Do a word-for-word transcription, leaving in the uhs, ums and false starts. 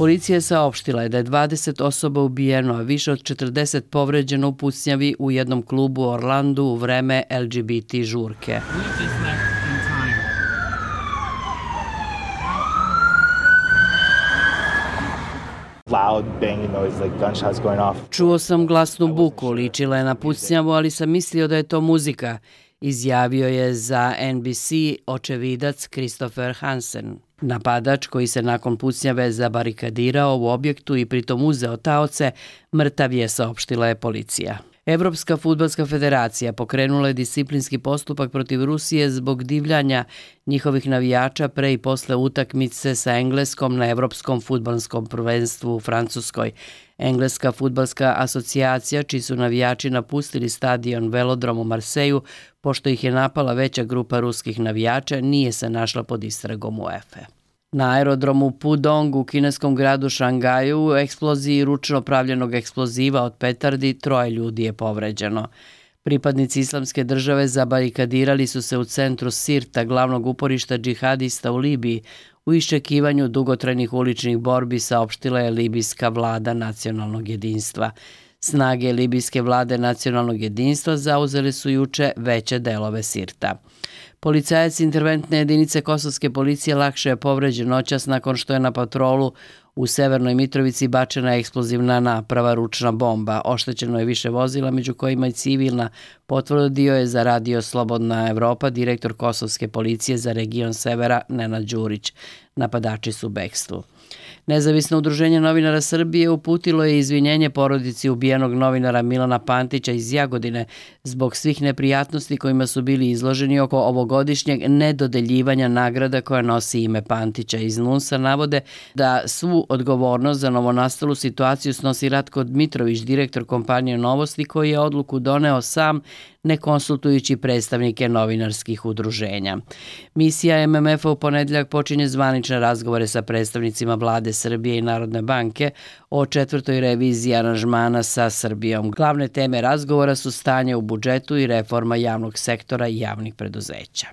Policija je saopštila da je dvadeset osoba ubijeno, a više od četrdeset povređeno u pucnjavi u jednom klubu u Orlandu u vreme L G B T žurke. Čuo sam glasnu buku, ličila je na pucnjavu, ali sam mislio da je to muzika, izjavio je za N B C očevidac Christopher Hansen. Napadač, koji se nakon pucnjave zabarikadirao u objektu i pritom uzeo taoce, mrtav je, saopštila je policija. Evropska fudbalska federacija pokrenula je disciplinski postupak protiv Rusije zbog divljanja njihovih navijača pre i posle utakmice sa Engleskom na Evropskom fudbalskom prvenstvu u Francuskoj. Engleska fudbalska asocijacija, čiji su navijači napustili stadion Velodrom u Marseju, pošto ih je napala veća grupa ruskih navijača, nije se našla pod istragom UEFA. Na aerodromu Pudong u kineskom gradu Šangaju u eksploziji ručno pravljenog eksploziva od petardi troje ljudi je povređeno. Pripadnici Islamske države zabarikadirali su se u centru Sirta, glavnog uporišta džihadista u Libiji, u iščekivanju dugotrajnih uličnih borbi, saopštila je libijska vlada nacionalnog jedinstva. Snage libijske vlade nacionalnog jedinstva zauzele su juče veće delove Sirta. Policajac interventne jedinice kosovske policije lakše je povređen noćas nakon što je na patrolu u Severnoj Mitrovici bačena eksplozivna naprava, ručna bomba. Oštećeno je više vozila, među kojima i civilna, potvrdio je za Radio Slobodna Evropa direktor kosovske policije za region Severa Nenad Đurić. Napadači su u bekstvu. Nezavisno udruženje novinara Srbije uputilo je izvinjenje porodici ubijenog novinara Milana Pantića iz Jagodine zbog svih neprijatnosti kojima su bili izloženi oko ovogodišnjeg nedodeljivanja nagrada koja nosi ime Pantića. Iz NUNS-a navode da svu odgovornost za novonastalu situaciju snosi Ratko Dmitrović, direktor kompanije Novosti, koji je odluku doneo sam, ne konsultujući predstavnike novinarskih udruženja. Misija M M F-a u ponedeljak počinje zvanične razgovore sa predstavnicima vlade Srbije i Narodne banke o četvrtoj reviziji aranžmana sa Srbijom. Glavne teme razgovora su stanje u budžetu i reforma javnog sektora i javnih preduzeća.